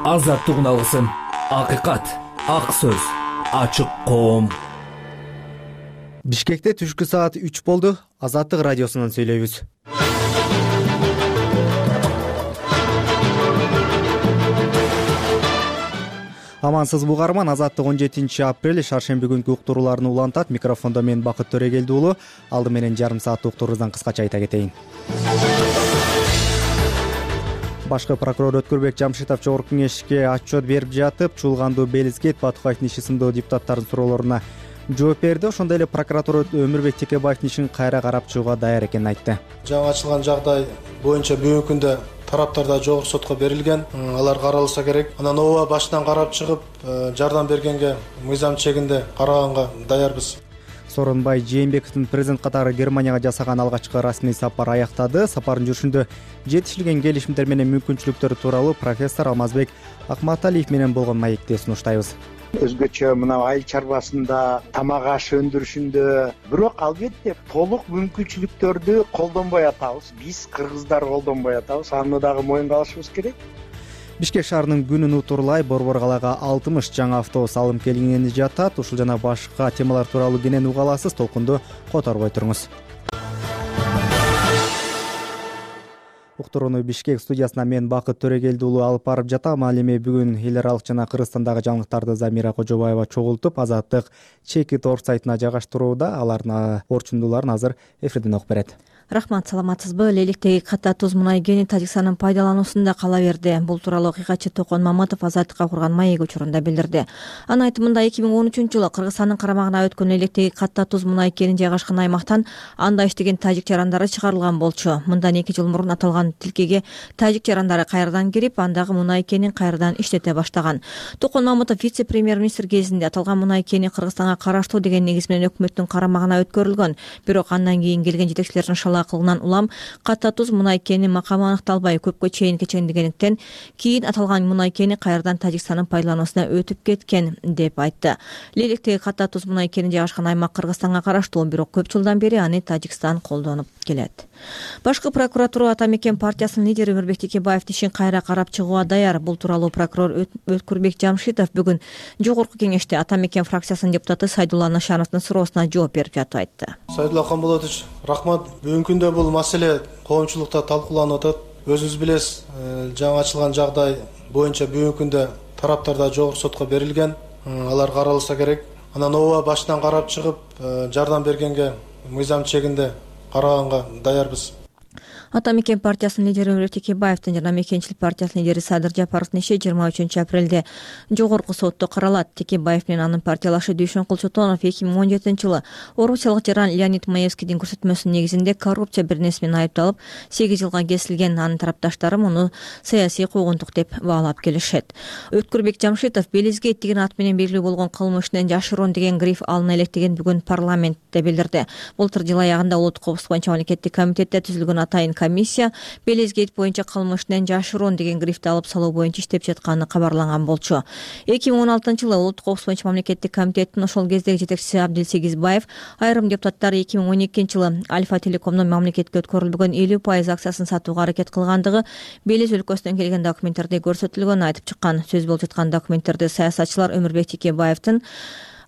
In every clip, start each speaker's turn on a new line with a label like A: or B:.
A: азаттык үналысын, акыйкат, ак сөз, ачык коом.
B: Бишкекте түшкү саат 3 болду. Азаттык радиосунан сүйлөйбүз. Амансызбы угарман, Азаттык 17 апрель шаршемби күнкү уктурууларын улантат. Микрофондо мен Бакыт Төрегелди уулу. Алды менен жарым сааттык уктуруубуздан кыскача айта кетейин. Башкы прокурор Өткүрбек Жамшитов Жогорку кеңешке отчет берип жатып, Чуулганду, Белизкейт, Батукаевдин иши сындуу депутаттардын суроолоруна жооп берди. Ошондой эле прокуратура Өмүрбек Текебаевдин ишин кайра карап чыгууга даяр экенин айтты.
C: Жаңы ачылган жагдай боюнча бүгүнкү күндө тараптарда жогорку сотко берилген. Алар каралса керек. Анан ооба башынан карап чыгып, жардам бергенге мыйзам чегинде караганга даярбыз.
B: Сооронбай Жээнбековдун президент катары Германияга жасаган алгачкы расмий сапар аяктады. Сапардын жүрүшүндө жетишилген келишимдер менен мүмкүнчүлүктөр тууралуу профессор Алмазбек Акматалиев менен болгон маекти сунуштайбыз.
D: Өзгөчө мына айыл чарбасында, тамак аш өндүрүшүндө, бирок албетте толук мүмкүнчүлүктөрдү колдонбой атабыз. Биз кыргыздар колдонбой атабыз. Аны дагы моюнга алышыбыз керек.
B: Бишкек шаарынын күнүн утурлай Борбор калаага 60 жаңы автобус алым келингени жатат. Ушул жана башка темалар тууралуу кенен уга аласыз. Толкунду которбой туруңуз. Уктурууну Бишкек студиясына мен Бакыт Төрегелди уулу алып барып жатам. Ал эми бүгүн эл аралык жана Кыргызстандагы жаңылыктарды Замира Кожобаева чогултуп, Азаттык чекит орг сайтына жайгаштырууда. Алардын орчундууларын азыр эфирден окуп берет.
E: Рахмат, саламатсызбы? Леликтеги ката туз мунай кени Тажикстандын пайдалануусунда кала берди. Бул тууралуу окуйгачы Токон Маматов Азаттыкка курган маек учурунда билдирди. Анын айтымында 2013-жылы Кыргызстандын карамагына өткөн электеги ката туз мунай кени жайгашкан аймактан анда иштеген тажик жарандары чыгарылган болчу. Мындан 2 жыл мурун аталган тилкеге тажик жарандары кайрадан кирип, андагы мунай кенин кайрадан иштете баштаган. Токон Маматов вице-премьер-министр кезинде аталган мунай кени Кыргызстанга караштуу деген негиз менен өкмөттүн карамагына өткөрүлгөн. Бирок андан кийин келген жетекчилердин кылынан улам ката туз мунай кени макамы аныкталбай көпкө чейин кечендигендиктен кийин аталган мунай кени кайрадан Тажикстандын пайдалануусуна өтүп кеткен деп айтты. Леликтеги ката туз мунай кени жайгашкан аймак Кыргызстанга караштуу, бирок көп жылдан бери аны Тажикстан колдонуп келет. Башкы прокуратура Ата мекен партиясынын лидери Өмүрбек Текебаевдин ишин кайра карап чыгууга даяр. Бул тууралуу прокурор Өткүрбек Жамшитов бүгүн жогорку кеңеште Ата мекен фракциясынын депутаты Сайдулла Нашановдун суроосуна жооп берип жатып айтты.
C: Сайдулла Камболотович, рахмат. Бүгүнкү күндө бул маселе коомчулукта талкууланып атат. Өзүңүз билесиз, жаңы ачылган жагдай боюнча бүгүнкү күндө тараптарда жогорку сотко берилген. Алар каралса керек. Анан ооба башынан карап чыгып, жардам бергенге мыйзам чегинде караганга даярбыз.
E: Ата мекен партиясынын лидери Өмүрбек Текебаевдин жана Мекенчилик партиясынын лидери Садыр Жапаровдун иши 23 апрелде жогорку сотто каралат. Текебаев менен анын партиялашы Дүйшөнкул Чотонов 2017-жылы орусиялык жаран Леонид Маевскийдин көрсөтмөсүнүн негизинде коррупция бирнеси менен айыпталып 8 жылга кесилген. Анын тарапташтары муну саясий куугунтук деп баалап келишет. Өткүрбек Жамшитов Белизкейт деген ат менен белгилүү болгон кылмыштын жашыруун деген гриф алына электеген бүгүн парламентте билдирди. Былтыр жыл аягында улуттук коопсуздук боюнча мамлекеттик комитетте түзүлгөн атайын комиссия Белизкейт боюнча кылмыштын жашыруун деген грифти алып салуу боюнча иштеп жатканы кабарланган болчу. 2016-жылы улуттук коопсуздук боюнча мамлекеттик комитеттин ошол кездеги жетекчиси Абдил Сегизбаев айрым депутаттар 2012-жылы Альфа Телекомдун мамлекетке өткөрүлбөгөн 50% акциясын сатууга аракет кылгандыгы Белиз өлкөсүнөн келген документтерде көрсөтүлгөнүн айтып чыккан. Сөз болуп жаткан документтерде саясатчылар Өмүрбек Текебаевдин,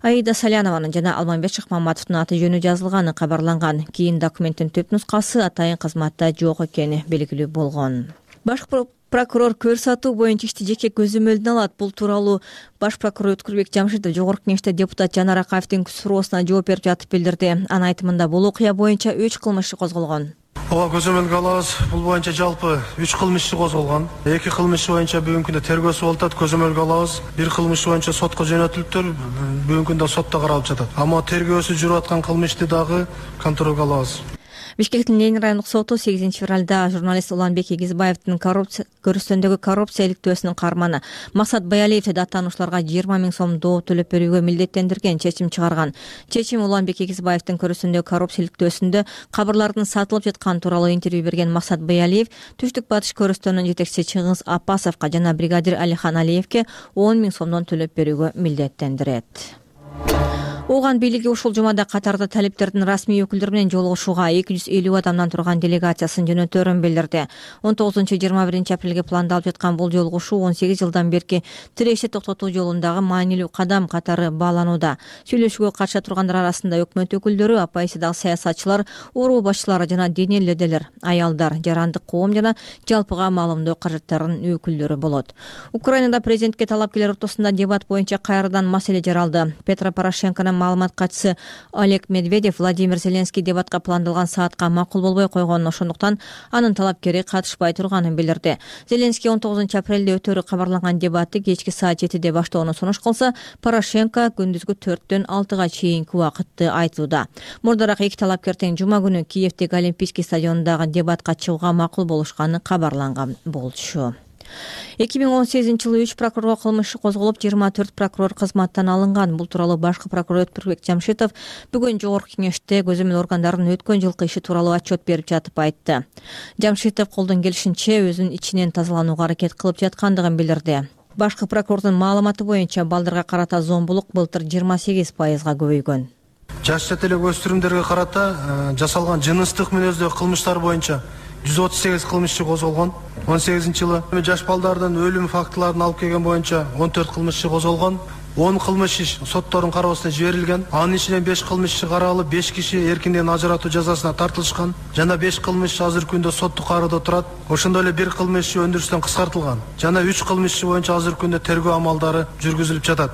E: Аида Салянованын жана Алмамбет Шыкмаматовдун аты жөнү жазылганы кабарланган. Кийин документтин түп нускасы атайын кызматта жок экени белгилүү болгон. Башкы прокурор көр сатуу боюнча ишти жеке көзөмөлдүнө алат. Бул тууралуу баш прокурор Өткүрбек Жамшитов жогорку кеңеште депутат Жанар Акаевдин суроосуна жооп берип жатып билдирди. Анын айтымында бул окуя боюнча 3 кылмыш иши козголгон.
C: Ооба, көзөмөлгө алабыз. Бул боюнча жалпы 3 кылмыш иши козголгон. 2 кылмыш боюнча бүгүнкү күндө тергөөсү болуп атат, көзөмөлгө алабыз. 1 кылмыш боюнча сотко жөнөтүлүптүр, бүгүнкү күндө сотто каралып жатат. Амма тергөөсү жүрүп аткан кылмышты дагы контролго алабыз.
E: Бишкектин Ленин райондук соту 8 февралда журналист Уланбек Эгизбаевдин көрүстөндөгү коррупция иликтөөсүнүн каарманы Максат Баялиевди аттануучуларга 20 000 сом доо төлөп берүүгө милдеттендирген чечим чыгарган. Чечим Уланбек Эгизбаевдин көрүстөндөгү коррупция иликтөөсүндө кабарлардын сатылып жатканы тууралуу интервью берген Максат Баялиев Түштүк Батыш көрүстөөнүнүн жетекчиси Чыңгыз Апасовго жана бригадир Алихан Алиевке 10 000 сомдон төлөп берүүгө милдеттендирет. Ооган бийлиги ушул жумада Катарда талиптердин расмий өкүлдөрү менен жолугушууга 250 адамдан турган делегациясын жөнөтөөрүн билдирди. 19-21 апрелге пландалып жаткан бул жолугушуу 18 жылдан берки тирешти токтотуу жолундагы маанилүү кадам катары бааланууда. Сүйлөшүүгө катыша тургандар арасында өкмөт өкүлдөрү, апайсы дагы саясатчылар, уруу башчылары жана диний лидерлер, аялдар, жарандык коом жана жалпыга маалымдоо каражаттарынын өкүлдөрү болот. Украинада президентке талапкерлер ортосунда дебат боюнча кайрадан маселе жаралды. Петро Порошенконун маалымат катчысы Олег Медведев Владимир Зеленский дебатка пландалган саатка макул болбой койгонун, ошондуктан анын талапкери катышпай турганын билдирди. Зеленский 19 апрелде өтөөрү кабарланган дебатты кечки саат 7де баштоону сунуш кылса, Порошенко күндүзгү 4-төн 6-га чейинки убакытты айтууда. Мурдараак эки талапкер тең жума күнү Киевдеги Олимпийский стадионундагы дебатка чыгууга макул болушканы кабарланган болчу. 2018-жылы 3 прокурорго кылмыш иши козголуп, 24 прокурор кызматтан алынган. Бул тууралуу башкы прокурор Өткүрбек Жамшитов бүгүн жогорку кеңеште көзөмөл органдардын өткөн жылкы иши тууралуу отчет берип жатып айтты. Жамшитов колдон келишинче өзүнүн ичинен тазаланууга аракет кылып жаткандыгын билдирди. Башкы прокурордун маалыматы боюнча балдарга карата зомбулук былтыр 28%га көбөйгөн.
C: Жаш жат элек өспүрүмдөргө карата жасалган жыныстык мүнөздөгү кылмыштар боюнча 138 кылмыш иши козголгон. 18-жылы жаш балдардын өлүм фактыларын алып келген боюнча 14 кылмыш иши козголгон. 10 кылмыш иш соттордун кароосуна жиберилген. Анын ичинен 5 кылмыш иши каралып, 5 киши эркинден ажыратуу жазасына тартылышкан. Жана 5 кылмыш иш азыркы күндө соттук кароодо турат. Ошондой эле 1 кылмыш иши өндүрүштөн кыскартылган. Жана 3 кылмыш иши боюнча азыркы күндө тергөө амалдары жүргүзүлүп жатат.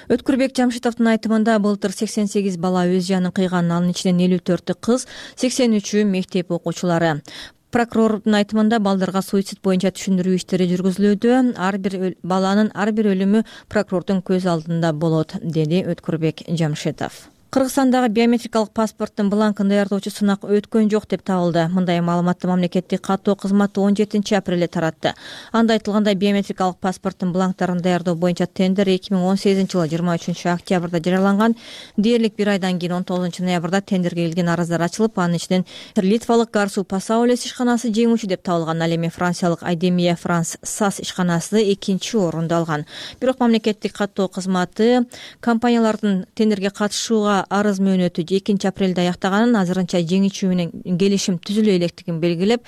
E: Өткүрбек Жамшитовдун айтымында былтыр 88 бала өз жанын кыйган, анын ичинен 54 кыз, 83 мектеп окуучулары. Прокурордун айтымында балдарга суицид боюнча түшүндүрүү иштери жүргүзүлүүдө. Ар бир баланын ар бир өлүмү прокурордун көз алдында болот, деди Өткүрбек Жамшитов. Кыргызстандагы биометрикалык паспорттун бланкын даярдоочу сынак өткөн жок деп табылды. Мындай маалыматты мамлекеттик каттоо кызматы 17 апрелде таратты. Анда айтылгандай, биометрикалык паспорттун бланктарын даярдоо боюнча тендер 2018-жылы 23 октябрда жарыяланган. Дээрлик бир айдан кийин 19 ноябрда тендерге келген арыздар ачылып, анын ичинен литвалык Гарсу Пасаулес ишканасы жеңүүчү деп табылган. Ал эми франциялык Айдемия Франс САС ишканасы 2-чи орунду алган. Бирок мамлекеттик каттоо кызматы компаниялардын тендерге катышууга арыз мөөнөтү 2 апрелде аяктаганын, азырынча жеңүүчү менен келишим түзүлө электигин белгилеп,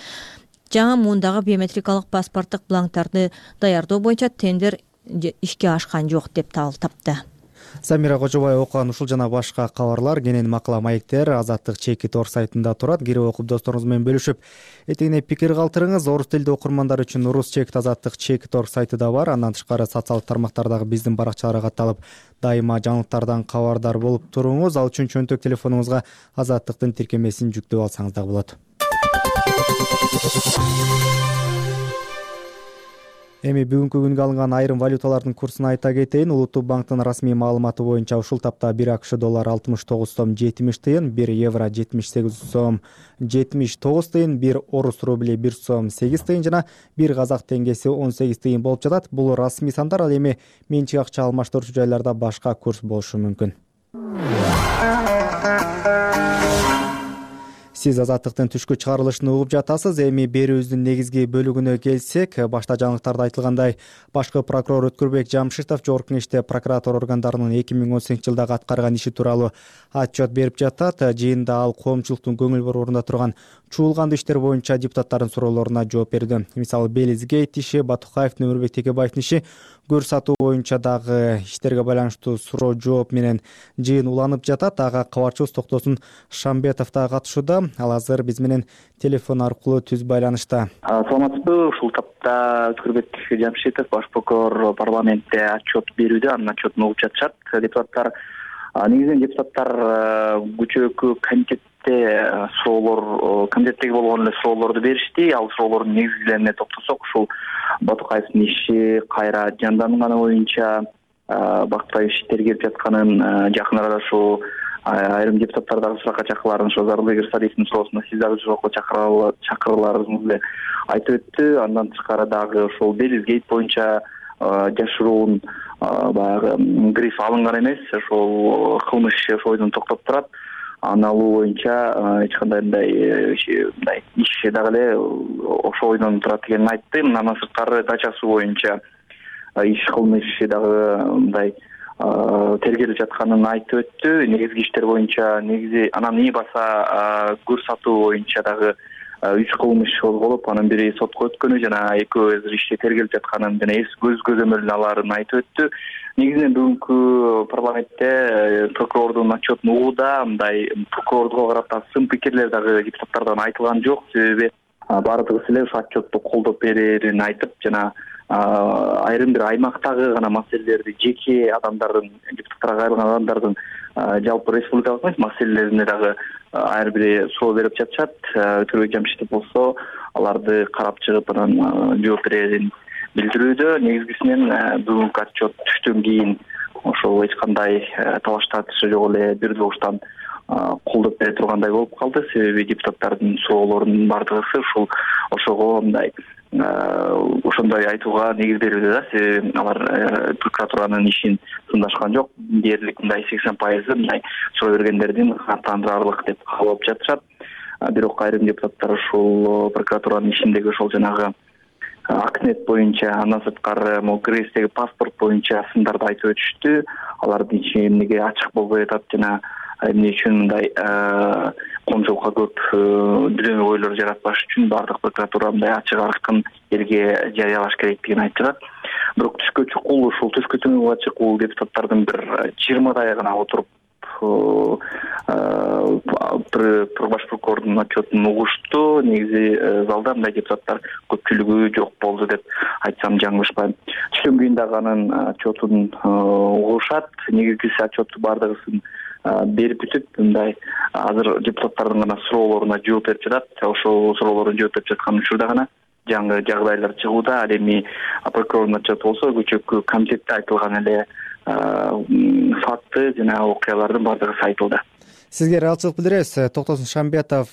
E: жаңы муундагы биометрикалык паспорттук бланктарды даярдоо боюнча тендер ишке ашкан жок деп тапты.
B: Самира Кожобаева окуган ушул жана башка кабарлар кенен макала маектер Азаттык чеки тор сайтында турат. Кирип окуп досторуңуз менен бөлүшүп, этегине пикир калтырыңыз. Орус тилдүү окурмандар үчүн Урус чек Азаттык чеки тор сайты да бар. Андан тышкары социалдык тармактардагы биздин баракчаларга катталып, дайыма жаңылыктардан кабардар болуп туруңуз. Ал үчүн чөнтөк телефонуңузга Азаттыктын тиркемесин жүктөп алсаңыз дагы болот. Эми бүгүнкү күнгө алынган айрым валюталардын курсун айта кетейин. Улуттук банктын расмий маалыматы боюнча ушул тапта 1 АКШ доллар 69 сом 70 тыйын, 1 евро 78 сом 79 тыйын, 1 орус рубли 1 сом 8 тыйын жана 1 казак теңгеси 18 тыйын болуп жатат. Бул расмий сандар. Ал эми менчик акча алмаштыруучу жайларда башка курс болушу мүмкүн. Сиз Азаттыктын түшкү чыгарылышын угуп жатасыз. Эми берүүбүздүн негизги бөлүгүнө келсек, башта жаңылыктарда айтылгандай, башкы прокурор Өткүрбек Жамшитов жогорку кеңеште прокуратура органдарынын 2018-жылдагы аткарган иши тууралуу отчет берип жатат. Жыйында ал коомчулуктун көңүл бурууунда турган чуулгандуу иштер боюнча депутаттардын суроолоруна жооп берди. Мисалы, Белизгейт иши, Батукаевдин, Өмүрбек Текебаевдин иши, көр сатуу боюнча дагы иштерге байланыштуу суроо жооп менен жыйын уланып жатат. Ага кабарчыбыз Токтосун Шамбетов да катышууда. Ал азыр биз менен телефон аркылуу түз байланышта.
F: Саламатсызбы? Ушул тапта Өткүрбек Жамшитов, баш прокурор, парламентте отчет берүүдө, анын отчетун угуп жатышат депутаттар. Негизинен депутаттар көчөкү комитеттеги болгон эле суроолорду беришти. Ал суроолордун негизгилерине токтосок, ушул Батукаевдин иши кайра жанданганы боюнча бактагы иштер келип жатканын, жакын арада ушул айрым депутаттар дагы суракка чакырыларын, ошо Зарылбек Ырсалиевдин суроосуна сиз дагы суракка чакырыларыңызды айтып өттү. Андан тышкары дагы ошол Белизгейт боюнча жашыруун баягы гриф алынган эмес, ошол кылмыш иши ошол бойдон токтоп турат. Аны алуу боюнча эч кандай мындай иш дагы эле ошол бойдон турат экенин айтты. Андан сырткары дачасы боюнча иш кылмыш иши дагы мындай тергелип жатканын айтып өттү. Негизги иштер боюнча анан ии баса көрсөтүү боюнча дагы 3 кылмыш козголуп, анын бири сотко өткөнү жана экөө азыр иште тергелип жатканын жана көз көзөмөлүнө алаарын айтып өттү. Негизинен бүгүнкү парламентте прокурордун отчетун угууда мындай прокурордго карата сын пикирлер дагы депутаттардан айтылган жок. Себеби баардыгысы эле ошо отчетту колдоп берерин айтып, жана айрым бир аймактагы гана маселелерди жеке адамдардын, депутаттарга кайрылган адамдардын жалпы республикалык эмес маселелерине дагы ар бири суроо берип жатышат. Өтөрбек Жамшитов болсо аларды карап чыгып анан жооп берерин билдирүүдө. Негизгисинен бүгүнкү отчет түштөн кийин ошол эч кандай талаш тартышы жок эле бир добуштан колдоп бере тургандай болуп калды. Себеби депутаттардын суроолорунун баардыгысы ошого мындай ошондой айтууга негиз берүүдө да. Себеби алар прокуратуранын ишин сындашкан жок. Дээрлик мындай 80% мындай суроо бергендердин каттандырарлык деп кабыл алып жатышат. Бирок айрым депутаттар ушул прокуратуранын ишиндеги ошол жанагы Акнет боюнча, андан сырткары могу Грецияги паспорт боюнча сындарды айтып өтүштү. Алардын ичи эмнеге ачык болбой атат жана эмне үчүн мындай коомчулукка көп дөмө ойлор жаратпаш үчүн баардык прокуратура мындай ачык аркын элге жарыялаш керектигин айтышат. Бирок түшкө чукул ушул түшкө түнүгө чукул депутаттардын бир 20-дай гана отуруп баш прокурордун отчетун угушту. Негизи залда мындай депутаттар көпчүлүгү жок болду деп айтсам жаңылышпайм. Түштөн кийин дагы анын отчетун угушат. Негизгиси отчетту баардыгысын берип бүтүп, мындай азыр депутаттардын гана суроолоруна жооп берип жатат. Ошол суроолордун жооп берип жаткан учурда гана жаңы жагдайлар чыгууда. Ал эми прокурордун отчету болсо көчөккө комитетте айтылган эле факты жана окуялардын баардыгы айтылды.
B: Сизге ыраазычылык билдиребиз. Токтосун Шамбетов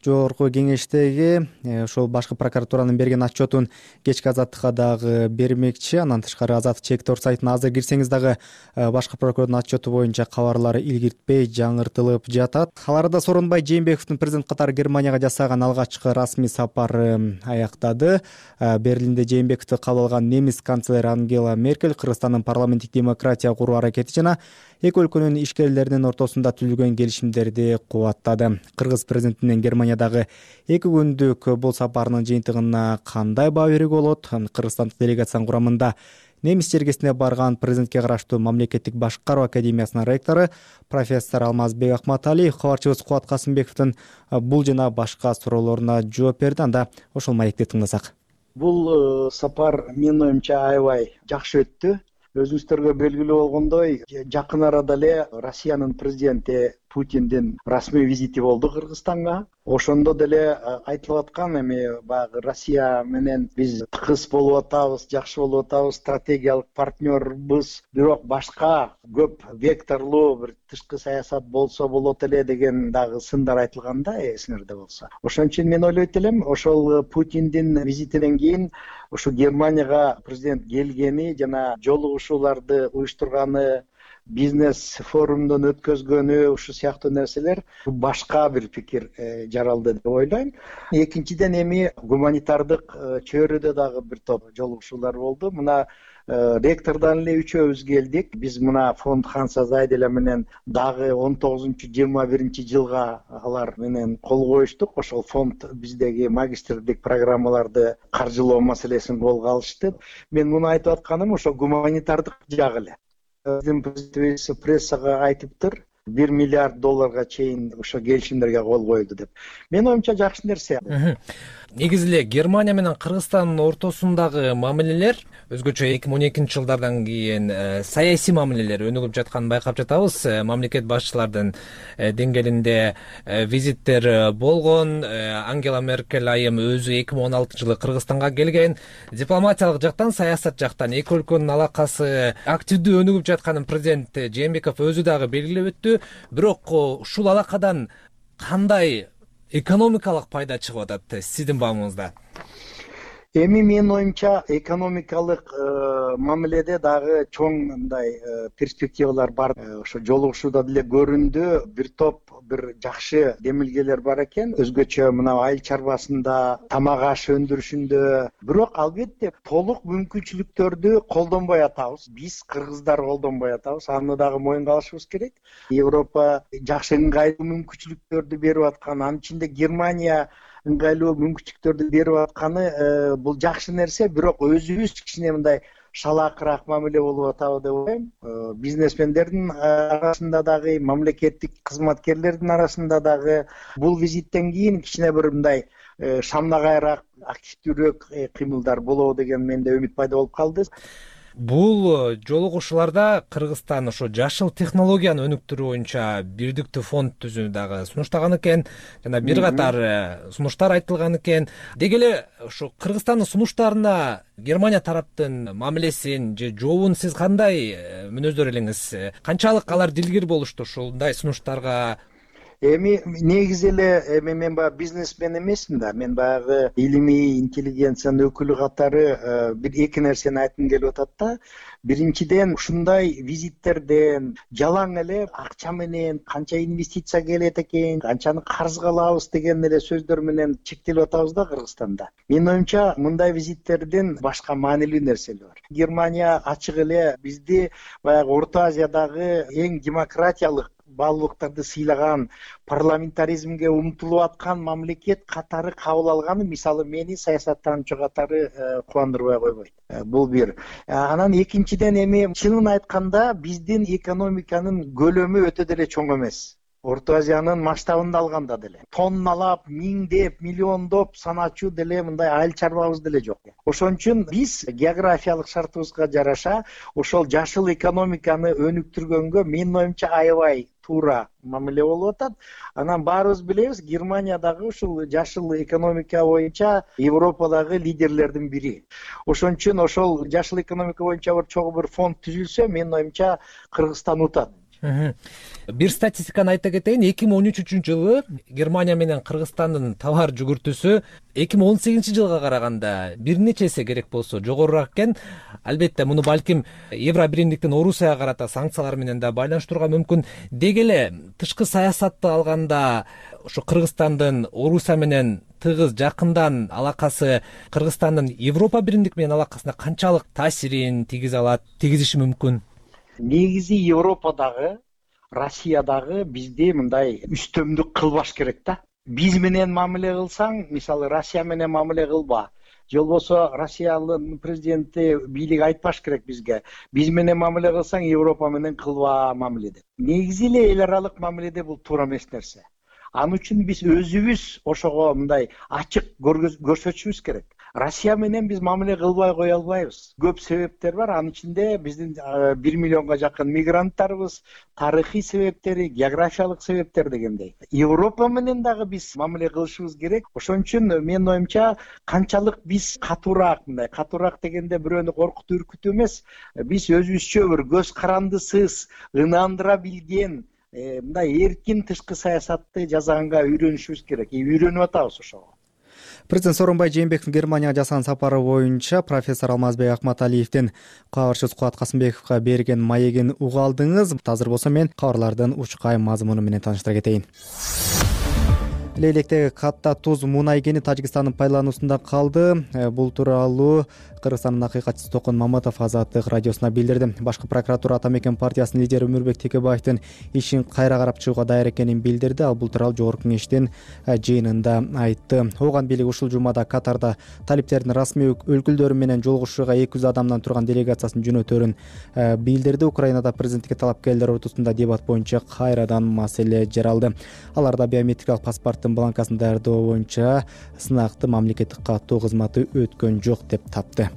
B: жогорку кеңештеги ошол башкы прокуратуранын берген отчетун кечки Азаттыкка дагы бермекчи. Андан тышкары Азаттык Чек.org сайтына азыр кирсеңиз дагы башкы прокурордун отчету боюнча кабарлары илгиртпей жаңыртылып жатат. Ал арада Сооронбай Жээнбековдун президент катары Германияга жасаган алгачкы расмий сапары аяктады. Берлинде Жээнбековду кабыл алган немис канцлери Ангела Меркель Кыргызстандын парламенттик демократия куруу аракети жана эки өлкөнүн ишкерлеринин ортосунда түзүлгөн келишимдерди кубаттады. Кыргыз президентинин Германиядагы 2 күндүк бул сапарынын жыйынтыгына кандай баа берүүгө болот? Кыргызстандык делегациянын курамында немис жергесине барган президентке караштуу мамлекеттик башкаруу академиясынын ректору профессор Алмазбек Акматалиев кабарчыбыз Кубат Касымбековдун бул жана башка суроолоруна жооп берди. Анда ошол маекти тыңдасак.
D: Бул сапар менин оюмча аябай жакшы өттү. Өзүңүздөргө белгилүү болгондой, жакын арада эле Россиянын президенти Путиндин расмий визити болду Кыргызстанга. Ошондо деле айтылып аткан, эми баягы Россия менен биз тыкыз болуп атабыз, жакшы болуп атабыз, стратегиялык партнербыз, бирок башка көп векторлуу бир тышкы саясат болсо болот эле деген дагы сындар айтылганда, эсиңерде болсо. Ошон үчүн мен ойлойт элем, ошол Путиндин визитинен кийин ушу Германияга президент келгени жана жолугушууларды уюштурганы, бизнес форумдон өткөзгөнү, ушу сыяктуу нерселер башка бир пикир жаралды деп ойлойм. Экинчиден эми гуманитардык чөйрөдө дагы бир топ жолугушуулар болду. Мына ректордон эле үчөөбүз келдик. Биз мына фонд Ханса Зайделя менен дагы 19-21 жылга алар менен кол коюштук. Ошол фонд биздеги магистрдик программаларды каржылоо маселесин колго алышты. Мен муну айтып атканым ошо гуманитардык жагы эле. Биздин президентибиз прессага айтыптыр, $1 миллиард чейин ошо келишимдерге кол коюлду деп. Менин оюмча жакшы нерсе.
G: Негизи эле Германия менен Кыргызстандын ортосундагы мамилелер өзгөчө 2012 жылдардан кийин саясий мамилелер өнүгүп жатканын байкап жатабыз. Мамлекет башчылардын деңгээлинде визиттер болгон. Ангела Меркель айым өзү 2016 жылы Кыргызстанга келген. Дипломатиялык жактан, саясат жактан эки өлкөнүн алакасы активдүү өнүгүп жатканын президент Жээнбеков өзү дагы белгилеп өттү. Бирок ушул алакадан кандай экономикалык пайда чыгып атат сиздин баамыңызда?
D: Эми менин оюмча экономикалык мамиледе дагы чоң мындай перспективалар бар. Ошо жолугушууда деле көрүндү, бир топ бир жакшы демилгелер бар экен. Өзгөчө мына айыл чарбасында, тамак аш өндүрүшүндө. Бирок албетте толук мүмкүнчүлүктөрдү колдонбой атабыз. Биз кыргыздар колдонбой атабыз. Аны дагы моюнга алышыбыз керек. Европа жакшы ыңгайлуу мүмкүнчүлүктөрдү берип аткан, анын ичинде Германия ыңгайлуу мүмкүнчүлүктөрдү берип атканы бул жакшы нерсе, бирок өзүбүз кичине мындай шалаакыраак мамиле болуп атабы деп ойлойм. Бизнесмендердин арасында дагы, мамлекеттик кызматкерлердин арасында дагы бул визиттен кийин кичине бир мындай шамнагайраак, активдүүрөөк кыймылдар болобу деген менде үмүт пайда болуп калды.
G: Бул жолугушууларда Кыргызстан ошо жашыл технологияны өнүктүрүү боюнча бирдиктүү фонд түзүүнү дагы сунуштаган экен, жана бир катар сунуштар айтылган экен. Деги эле ошо Кыргызстандын сунуштарына Германия тараптын мамилесин же жообун сиз кандай мүнөздөр элеңиз? Канчалык алар дилгир болушту ушундай сунуштарга?
D: Эми негизи эле мен баягы бизнесмен эмесмин да, мен баягы илимий интеллигенциянын өкүлү катары бир эки нерсени айткым келип атат да. Биринчиден, ушундай визиттерден жалаң эле акча менен канча инвестиция келет экен, канчаны карызга алабыз деген эле сөздөр менен чектелип атабыз да Кыргызстанда. Менин оюмча мындай визиттердин башка маанилүү нерселери бар. Германия ачык эле бизди баягы Орто Азиядагы эң демократиялык баалуулуктарды сыйлаган, парламентаризмге умтулуп аткан мамлекет катары кабыл алганы, мисалы, мени саясаттануучу катары кубандырбай койбойт. Бул бир. Анан экинчиден, эми чынын айтканда биздин экономиканын көлөмү өтө деле чоң эмес. Орто Азиянын масштабында алганда деле тонналап, миңдеп, миллиондоп саначу деле мындай айыл чарбабыз деле жок. Ошон үчүн биз географиялык шартыбызга жараша ошол жашыл экономиканы өнүктүргөнгө менин оюмча аябай туура мамиле болуп атат. Анан баарыбыз билебиз, Германия дагы ушул жашыл экономика боюнча Европадагы лидерлердин бири. Ошон үчүн ошол жашыл экономика боюнча бир чоң бир фонд түзүлсө, менин оюмча Кыргызстан утат.
G: Бир статистиканы айта кетейин. 2013-жылы Германия менен Кыргызстандын товар жүгүртүүсү 2018 жылга караганда бир нече эсе керек болсо жогорураак экен. Албетте муну балким Евро биримдиктин Орусияга карата санкциялар менен да байланыштырууга мүмкүн. Деги эле тышкы саясатты алганда ошо Кыргызстандын Орусия менен тыгыз жакындан алакасы Кыргызстандын Европа биримдик менен алакасына канчалык таасирин тийгизиши мүмкүн?
D: Негизи Европадагы, Россиядагы бизди мындай үстөмдүк кылбаш керек да. Биз менен мамиле кылсаң, мисалы, Россия менен мамиле кылба. Же болбосо Россиянын президенти, бийлиги айтпаш керек бизге. Биз менен мамиле кылсаң, Европа менен кылба мамиле деп. Негизи эле эл аралык мамиледе бул туура эмес нерсе. Аны үчүн биз өзүбүз ошого мындай ачык көрсөтүшүбүз керек. Россия менен биз мамиле кылбай кое албайбыз. Көп себептер бар. Анын ичинде биздин 1 миллионго жакын мигранттарыбыз, тарыхый себептери, географиялык себептер дегендей. Европа менен дагы биз мамиле кылышыбыз керек. Ошон үчүн менин оюмча канчалык биз катуураак дегенде бирөөнү коркутуу, үркүтүү эмес, биз өзүбүзчө бир көз карандысыз, ынандыра билген, мындай эркин тышкы саясатты жасаганга үйрөнүшүбүз керек. Үйрөнүп атабыз ошого.
B: Президент Сооронбай Жээнбековдун Германияга жасаган сапары боюнча профессор Алмазбек Акматалиевдин кабарчысы Кубат Касымбековго берген маегин уга алдыңыз. Азыр болсо мен кабарлардын учкай мазмуну менен тааныштыра кетейин. Лейлектеги катта туз мунай кени Тажикстандын пайдалануусунда калды. Бул тууралуу Кыргызстандын акыйкатчысы Токон Маматов Азаттык радиосуна билдирди. Башкы прокуратура Ата Мекен партиясынын лидери Өмүрбек Текебаевдин ишин кайра карап чыгууга даяр экенин билдирди. Ал бул тууралуу Жогорку кеңештин жыйынында айтты. Ооган бийлик ушул жумада Катарда талиптердин расмий өкүлдөрү менен жолугушууга 200 адамдан турган делегациясын жөнөтөрүн билдирди. Украинада президенттикке талапкерлер ортосунда дебат боюнча кайрадан маселе жаралды. Аларда биометрикалык паспорттун бланкасын даярдоо боюнча сынакты мамлекеттик каттоо кызматы өткөн жок деп тапты.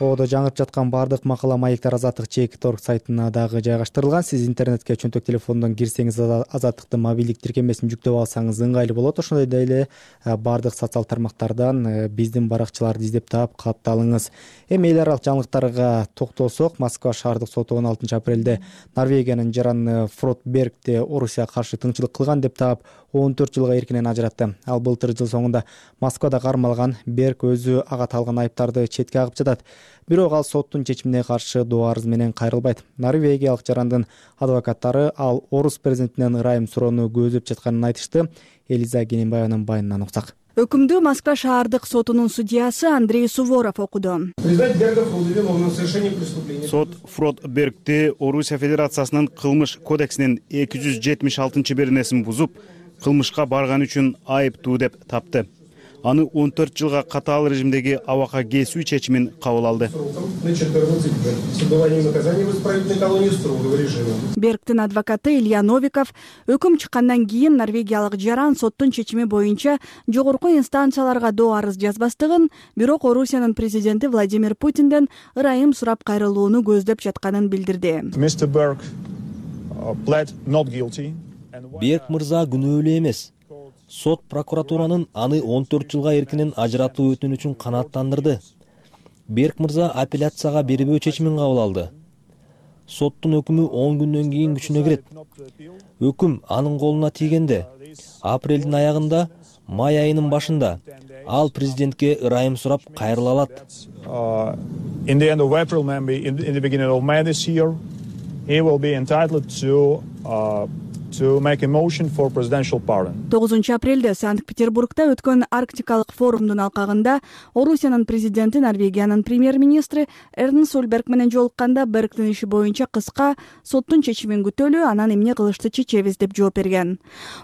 B: Ободо жаңырып жаткан баардык макала маектер Азаттык /org сайтына дагы жайгаштырылган. Сиз интернетке чөнтөк телефондон кирсеңиз, Азаттыктын мобилдик тиркемесин жүктөп алсаңыз ыңгайлуу болот. Ошондой эле баардык социал тармактардан биздин баракчаларды издеп таап катталыңыз. Эми эл аралык жаңылыктарга токтолсок, Москва шаардык соту 16 апрелде Норвегиянын жараны Фрод Бергти Орусияга каршы тыңчылык кылган деп таап 14 жылга эркинен ажыратты. Ал былтыр жыл соңунда Москвада кармалган. Берг өзү ага таалган айыптарды четке агып жатат. Бирок ал соттун чечимине каршы доо арыз менен кайрылбайт. Норвегиялык жарандын адвокаттары ал орус президентинен ырайым суроону көздөп жатканын айтышты. Элиза Кененбаеванын байынан уксак.
H: Өкүмдү Москва шаардык сотунун судьясы Андрей Суворов окуду.
I: Сот Фрод Бергти Орусия Федерациясынын кылмыш кодексинин 276-беренесин бузуп, кылмышка барган үчүн айыптуу деп тапты. Аны 14 жылга катаал режимдеги абакка кесүү чечимин кабыл алды.
H: Бергтин адвокаты Илья Новиков өкүм чыккандан кийин норвегиялык жаран соттун чечими боюнча жогорку инстанцияларга доо арыз жазбастыгын, бирок Орусиянын президенти Владимир Путинден ырайым сурап кайрылууну көздөп жатканын билдирди.
J: Берг мырза күнөөлүү эмес. Сот прокуратуранын аны 14 жылга эркинен ажыратуу өтүнүчүн канааттандырды. Берг мырза апелляцияга бербөө чечимин кабыл алды. Соттун өкүмү 10 күндөн кийин күчүнө кирет. Өкүм анын колуна тийгенде, апрелдин аягында, май айынын башында ал президентке ырайым сурап кайрыла алат.
H: To make a motion for presidential pardon. 9 апрелде Санкт-Петербургда өткөн Арктикалык форумдун алкагында Орусиянын президенти Норвегиянын премьер-министри Эрнст Солберг менен жолукканда Бергтин иши боюнча кыска соттун чечимин күтөлү, анан эмне кылышты чечебиз деп жооп берген.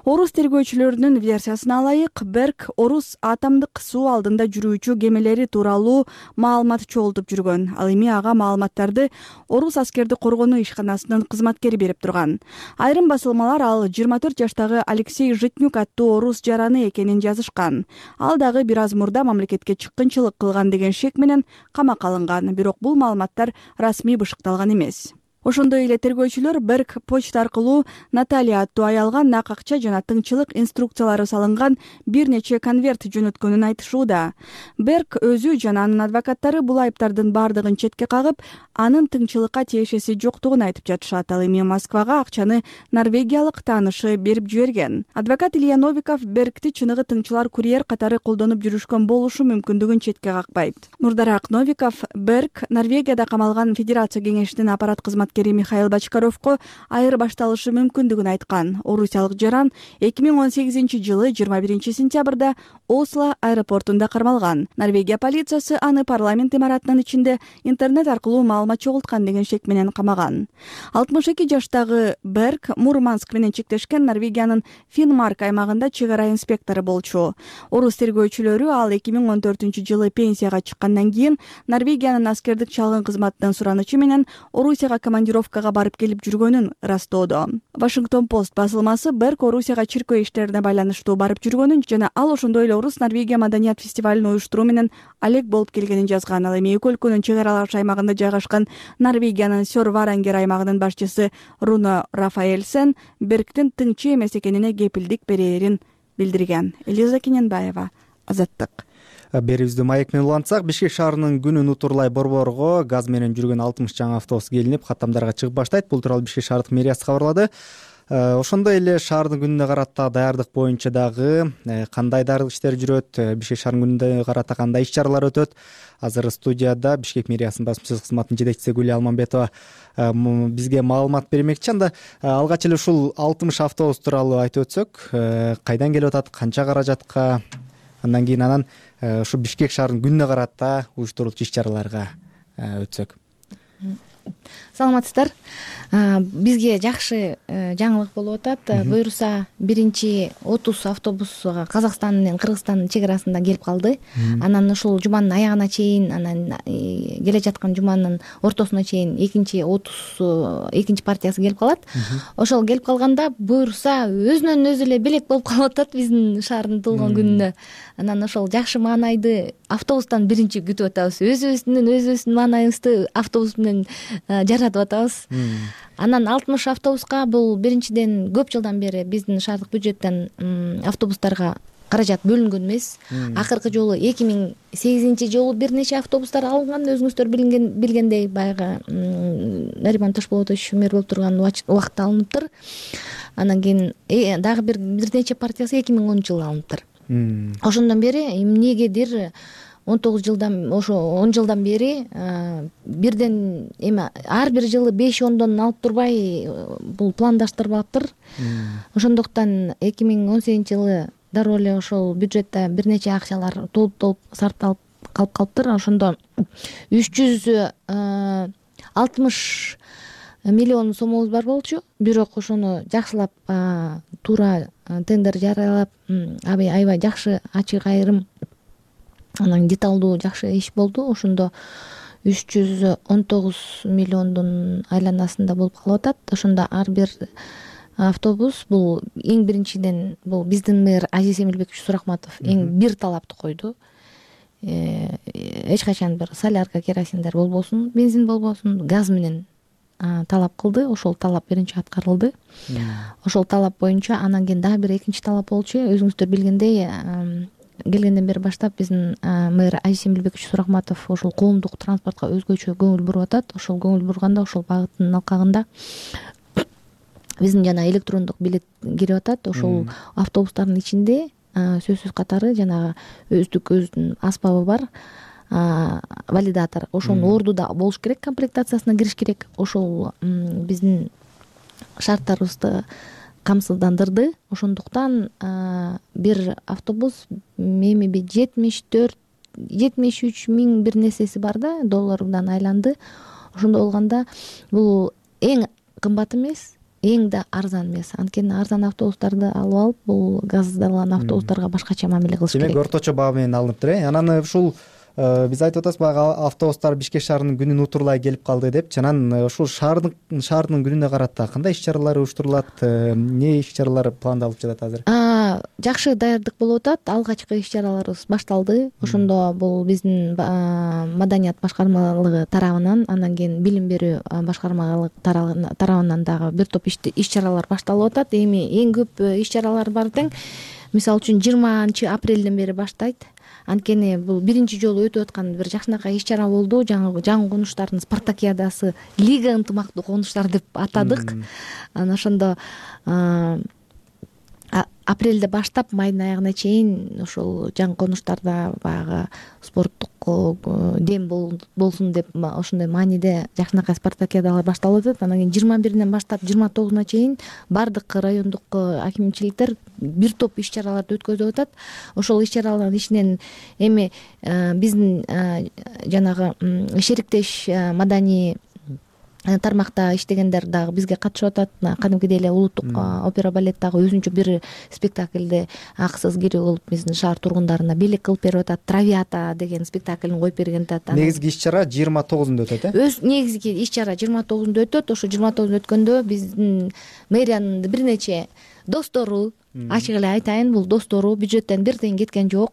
H: Орус тергөөчүлөрүнүн версиясына ылайык, Берг орус атомдук суу алдында жүрүүчү кемелери тууралуу маалымат чогултуп жүргөн. Ал эми ага маалыматтарды орус аскерди коргонуу ишканасынын кызматкери берип турган. Айрым басылмалар ал 24 жаштагы Алексей Житнюк аттуу орус жараны экенин жазышкан. Ал дагы бир аз мурда мамлекетке чыккынчылык кылган деген шек менен камакка алынган, бирок бул маалыматтар расмий бышыкталган эмес. Ошондой эле тергөөчүлөр Берг почта аркылуу Наталья аттуу аялга нак акча жана тыңчылык инструкциялары салынган бир нече конверт жөнөткөнүн айтышууда. Берг өзү жана анын адвокаттары бул айыптардын бардыгын четке кагып, анын тыңчылыкка тиешеси жоктугун айтып жатышат. Ал эми Москвага акчаны норвегиялык таанышы берип жиберген. Адвокат Илья Новиков Бергти чыныгы тыңчылар курьер катары колдонуп жүрүшкөн болушу мүмкүндүгүн четке какпайт. Мурдараак Новиков Берг Норвегияда камалган Федерация кеңешинин аппарат кызматкери Михаил Бочкаровко айырбашталышы мүмкүндүгүн айткан. Орусиялык жаран 2018 жылы 21 сентябрда Осло аэропортунда кармалган. Норвегия полициясы аны парламент имаратынын ичинде интернет аркылуу маалымат чогулткан деген шек менен камаган. 62 жаштагы Берг Мурманск менен чектешкен Норвегиянын Финмарк аймагында чек ара инспектору болчу. Орус тергөөчүлөрү ал 2014 жылы пенсияга чыккандан кийин Норвегиянын аскердик чалгын кызматынын суранычы менен Орусияга командировкага барып келип жүргөнүн ырастоодо. Вашингтон Пост басылмасы Берг Орусияга чиркөө иштерине байланыштуу барып жүргөнүн жана ал ошондой эле Орус Норвегия маданият фестивалын уюштуруу менен алек болуп келгенин жазган. Ал эми эки өлкөнүн чек аралаш аймагында жайгашкан Норвегиянын Сёр-Варангер аймагынын башчысы Руно Рафаэльсен Бергтин тыңчы эмес экенине кепилдик берээрин билдирген. Элиза Кененбаева, Азаттык.
B: Берибизди маек менен улантсак, Бишкек шаарынын күнүн утурлай Борборго газ менен жүргөн 60 жаңы автобус келинип, каттамдарга чыгып баштайт. Бул тууралуу Бишкек шаардык мэриясы кабарлады. Ошондой эле шаардын күнүнө карата даярдык боюнча дагы кандай даярдык иштери жүрөт, Бишкек шаарынын күнүнө карата кандай иш-чаралар өтөт? Азыр студияда Бишкек мэриясынын басма сөз кызматынын жетекчиси Гүлия Алманбетова бизге маалымат бермекчи. Анда алгач эле ушул 60 автобус тууралуу айтып өтсөк, кайдан келип атат, канча каражатка, андан кийин ушу Бишкек шаарынын күнүнө карата уюштурулчу иш-чараларга өтсөк.
E: Саламатсыздар.
K: Бизге жакшы жаңылык болуп атат. Буюрса 1-30 автобус Казакстан менен Кыргызстандын чек арасында келип калды. Анан ушул жуманын аягына чейин, анан келе жаткан жуманын ортосуна чейин экинчи партиясы келип калат. Ошол келип калганда буюрса өзүнөн өзү эле белек болуп калып атат биздин шаардын туулган күнүнө. Анан ошол жакшы маанайды автобустан биринчи күтүп атабыз. Өзүбүздүн маанайыбызды автобус менен жаратып атабыз. Анан 60 автобуска бул биринчиден көп жылдан бери биздин шаардык бюджеттен автобустарга каражат бөлүнгөн эмес. Акыркы жолу 2008-жылы бир нече автобустар алынган, өзүңүздөр билгендей баягы Нариман Ташполотович мэр болуп турган убакытта алыныптыр. Анан кийин дагы бир нече партиясы 2010-жылы алыныптыр. Ошондон бери эмнегедир 19 жылдан, ошо 10 жылдан бери бирден эми ар бир жылы 5-10дон алып турбай бул пландаштырбаптыр. Ошондуктан 2018-жылы дароо эле ошол бюджетте бир нече акчалар толуп сарпталып калып калыптыр. Ошондо 360 миллион сомубуз бар болчу. Бирок ошону жакшылап туура тендер жарыялап, аябай жакшы ачык айрым, анан деталдуу жакшы иш болду. Ошондо 319 миллиондун айланасында болуп калып атат. Ошондо ар бир автобус бул эң биринчиден бул биздин мэр Азиз Эмилбекович Сурахматов эң бир талапты койду. Эч качан бир солярка, керосиндер болбосун, бензин болбосун, газ менен талап кылды. Ошол талап биринчи аткарылды. Ошол талап боюнча анан кийин дагы бир экинчи талап болчу. Өзүңүздөр билгендей, келгенден бери баштап биздин мэр Азиз Эмилбекович Сурахматов ошол коомдук транспортко өзгөчө көңүл буруп атат. Ошол көңүл бурганда ошол багыттын алкагында биздин жана электрондук билет кирип атат. Ошол автобустардын ичинде сөзсүз катары жанагы өзүнүн аспабы бар, валидатор. Ошонун орду да болуш керек, комплектациясына кириш керек. Ошол биздин шарттарыбызды камсыздандырды. Ошондуктан бир автобус эми 73 миң бир нерсеси бар да, доллардан айланды. Ошондо болгондо бул эң кымбат эмес, эң да арзан эмес. Анткени арзан автобустарды алып алып, бул газдалган автобустарга башкача мамиле кылыш керек.
B: Демек орточо баа менен алыныптыр. Анан ушул биз айтып атабыз, баягы автобустар Бишкек шаарынын күнүн утурлай келип калды деп. Анан ушул шаардын күнүнө карата кандай иш-чаралар уюштурулат, эмне иш-чаралар пландалып жатат азыр?
K: Жакшы даярдык болуп атат. Алгачкы иш-чараларыбыз башталды. Ошондо бул биздин маданият башкармалыгы тарабынан, анан кийин билим берүү башкармалыгы тарабынан дагы бир топ иш-чаралар башталып атат. Эми эң көп иш-чаралар бар тең. Мисалы үчүн 20 апрелден бери баштайт. Анткени бул биринчи жолу өтүп аткан бир жакшынакай иш-чара болду. Жаңы конуштардын спартакиадасы, лига ынтымактуу конуштар деп атадык. Анан ошондо апрелде баштап майдын аягына чейин ошол жаңы конуштарда баягы спорттук дем болсун деп ошондой мааниде жакшынакай спартакиадалар башталып атат. Анан кийин 21-ден баштап 29-уна чейин бардык райондук акимчиликтер бир топ иш-чараларды өткөзүп атат. Ошол иш-чаралардын ичинен эми биздин жанагы шериктеш маданий тармакта иштегендер дагы бизге катышып атат. Кадимкидей эле улуттук опера балет дагы өзүнчө бир спектакльди акысыз кирип кылып биздин шаар тургундарына белек кылып берип атат. Травиата деген спектаклин коюп берген атат.
B: Негизги иш-чара 29-унда өтөт,
K: Негизги иш-чара 29-унда өтөт. Ошо 29-унда өткөндө биздин мэриянын бир нече достору, ачык эле айтайын, бул достору бюджеттен бир тиен кеткен жок.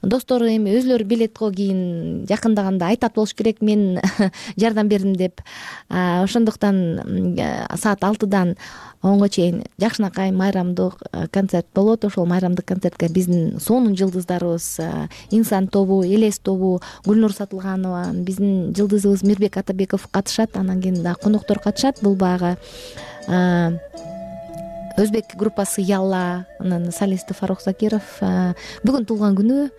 K: Достору эми өзүлөрү билетко кийин жакындаганда айтат болуш керек, мен жардам бердим деп. Ошондуктан саат 6-дан 10-го чейин жакшынакай майрамдык концерт болот. Ошол майрамдык концертке биздин сонун жылдыздарыбыз, Инсан тобу, Элес тобу, Гүлнур Сатылганова, биздин жылдызыбыз Мирбек Атабеков катышат. Анан кийин дагы коноктор катышат. Бул баягы өзбек группасы Ялла, анан солисти Фарук Закиров. Бүгүн туулган күнү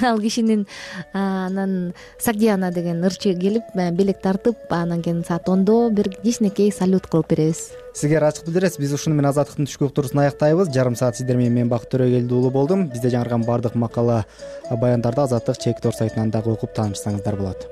K: ал кишинин. Анан Сагдиана деген ырчы келип, белек тартып, анан кийин саат 10-до бир кичинекей салют кылып беребиз.
B: Сизге ачык билдиресиз. Биз ушуну менен Азаттыктын түшкү уктуруусун аяктайбыз. Жарым саат сиздер менен мен Бакыт Төрөгелди уулу болдум. Бизде жаңырган бардык макала, баяндарды Азаттык чек тор сайтынан дагы окуп таанышсаңыздар болот.